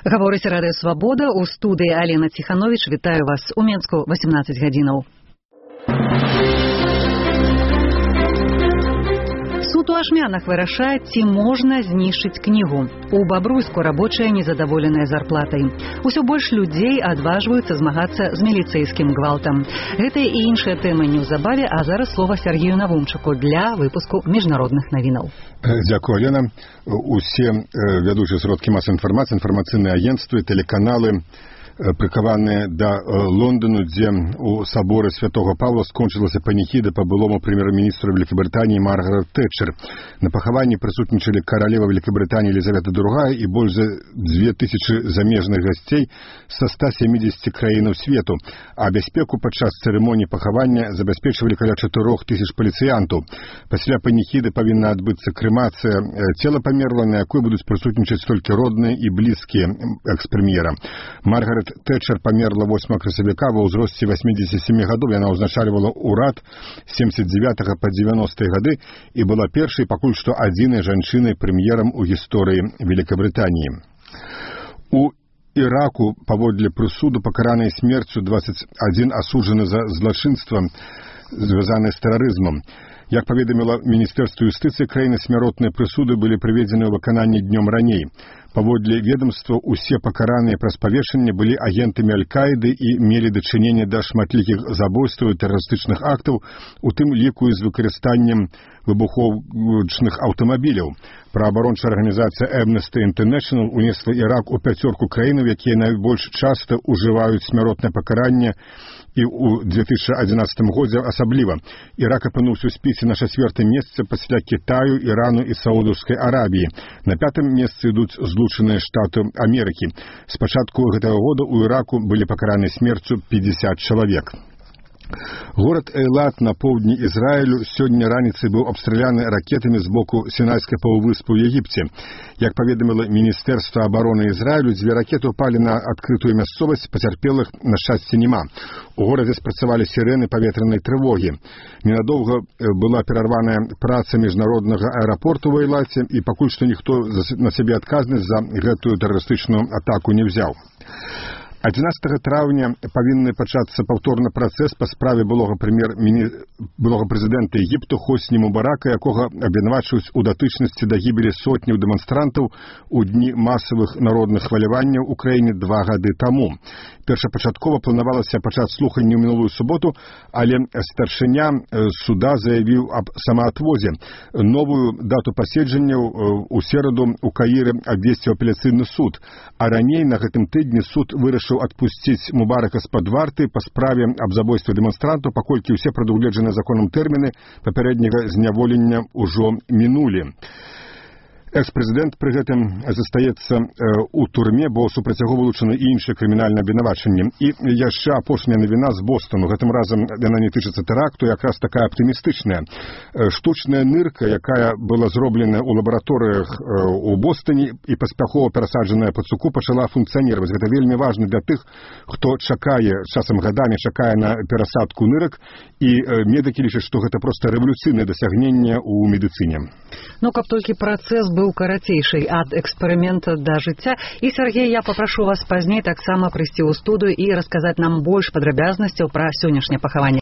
Гаворыць Радыё Свабода, у студыі Алена Ціхановіч. Вітаю вас у Менску 18 гадзінаў. Суд у Ашмянах вырашае, ці можна знішчыць кнігу. У Бабруйску рабочыя незадаволеныя зарплатай. Усё больш людзей адважваюцца змагацца з міліцэйскім гвалтам. Гэтыя і іншыя тэмы неўзабаве, а зараз слова Сергею Навумчыку для выпуску міжнародных навінаў. Дзякую, Алена. Усе вядучыя сродкі масавай інфармацыі, інфармацыйныя агенцтвы, тэлеканалы прыкаваныя да Лондану, дзе у саборы Святого Павла скончылася паніхіда па былому прэм'ер-міністру Великабрытаніі Маргарет Тэтчер. На пахаванні прысутнічалі каралева Великабрытаніі Елізавета II і больш за 2000 замежных гасцей са 170 краінаў свету, а бяспеку падчас цырымоніі пахавання забяспечвалі каля 4000 паліцыянтаў. Пасля паніхіды павінна адбыцца крэмацыя цела памерла, на якой будуць прысутнічаць толькі родныя і блізкія экс-прэм'ера. Маргарет Тэтчер памерла 8 красавіка ва ўзросце 87 гадоў. Яна ўзначальвала ўрад з 79 па 90-е гады і была першай, пакуль што адзінай жанчынай прэм'ерам у гісторыі Великабрытаніі. У Іраку паводле прысуду пакаранай смерцю 21 асуджаны за злачынства, звязанае з тэрарызмам. Як паведаміла Міністэрства юстыцыі краіны, смяротныя прысуды былі прыведзены ў выкананні днём раней. Паводле ведомства, усе пакараныя праз павешанне былі агентамі Аль-Каіды і мелі дачыненне да шматлікіх забойстваў і тэрарыстычных актаў, у тым ліку з выкарыстаннем выбуховачных аўтамабіляў. Праабарончая арганізацыя Amnesty International унесла Ірак у пяцёрку краінаў, якія найбольш часта ўжываюць смяротнае пакаранне, і ў 2011 годзе асабліва. Ірак апынуўся ў спісе на 4-м месцы пасля Кітаю, Ірану і Саудаўскай Арабіі. На 5-м месцы ідуць Злучаныя Штаты Амерыкі. З пачатку гэтага года ў Іраку былі пакараныя смерцю 50 чалавек. Горад Эйлат на поўдні Ізраілю сёння раніцай быў абстраляны ракетамі з боку Сінайскай паўвыспы ў Егіпце. Як паведаміла Міністэрства абароны Ізраілю, 2 ракеты ўпалі на адкрытую мясцовасць, пацярпелых на шчасце няма. У горадзе спрацавалі сірэны паветранай трывогі. Ненадоўга была перарваная праца міжнароднага аэрапорту ў Эйлаце, і пакуль што ніхто на сябе адказнасць за гэтую тэрарыстычную атаку не ўзяў. 11 траўня павінны пачацца паўторны працэс па справе былога прэзідэнта Егіпту Хосні Мубарака, якога абвінавачваюць у датычнасці да гібелі сотняў дэманстрантаў у дні масавых народных хваляванняў у краіне 2 гады таму. Першапачаткова планавалася пачаць слуханні ў мінулую суботу, але старшыня суда заявіў аб самаатвозе. Новую дату паседжанняў у сераду ў Каіры абвесціў апеляцыйны суд, а раней на гэтым тыдні суд вырашыў адпусціць Мубарака з-пад варты па справе аб забойстве дэманстрантаў, паколькі ўсе прадугледжаныя законам тэрміны папярэдняга зняволення ўжо мінулі. Экс-прэзідэнт пры гэтым застаецца ў турме, бо супраць яго вылучаны і іншыя крымінальныя абвінавачанні. І яшчэ апошняя навіна з Бостону. Гэтым разам яна не тычыцца тэракту, якраз такая аптымістычная. Штучная нырка, якая была зробленая ў лабараторыях у Бостоне і паспяхова перасаджаная пад суку, пачала функцыянировать. Гэта вельмі важна для тых, хто чакае, часам гадамі чакае на перасадку нырак, і медыкі лічаць, што гэта проста рэвалюцыйнае дасягненне ў медыцыне. Ну, каб толькі працэс быў карацейший ад эксперымента да жыцця. І, Сергей, я папрашу вас пазней таксама прыйсці ў студыю і расказаць нам больш падрабязнасцяў пра сённяшняе пахаванне.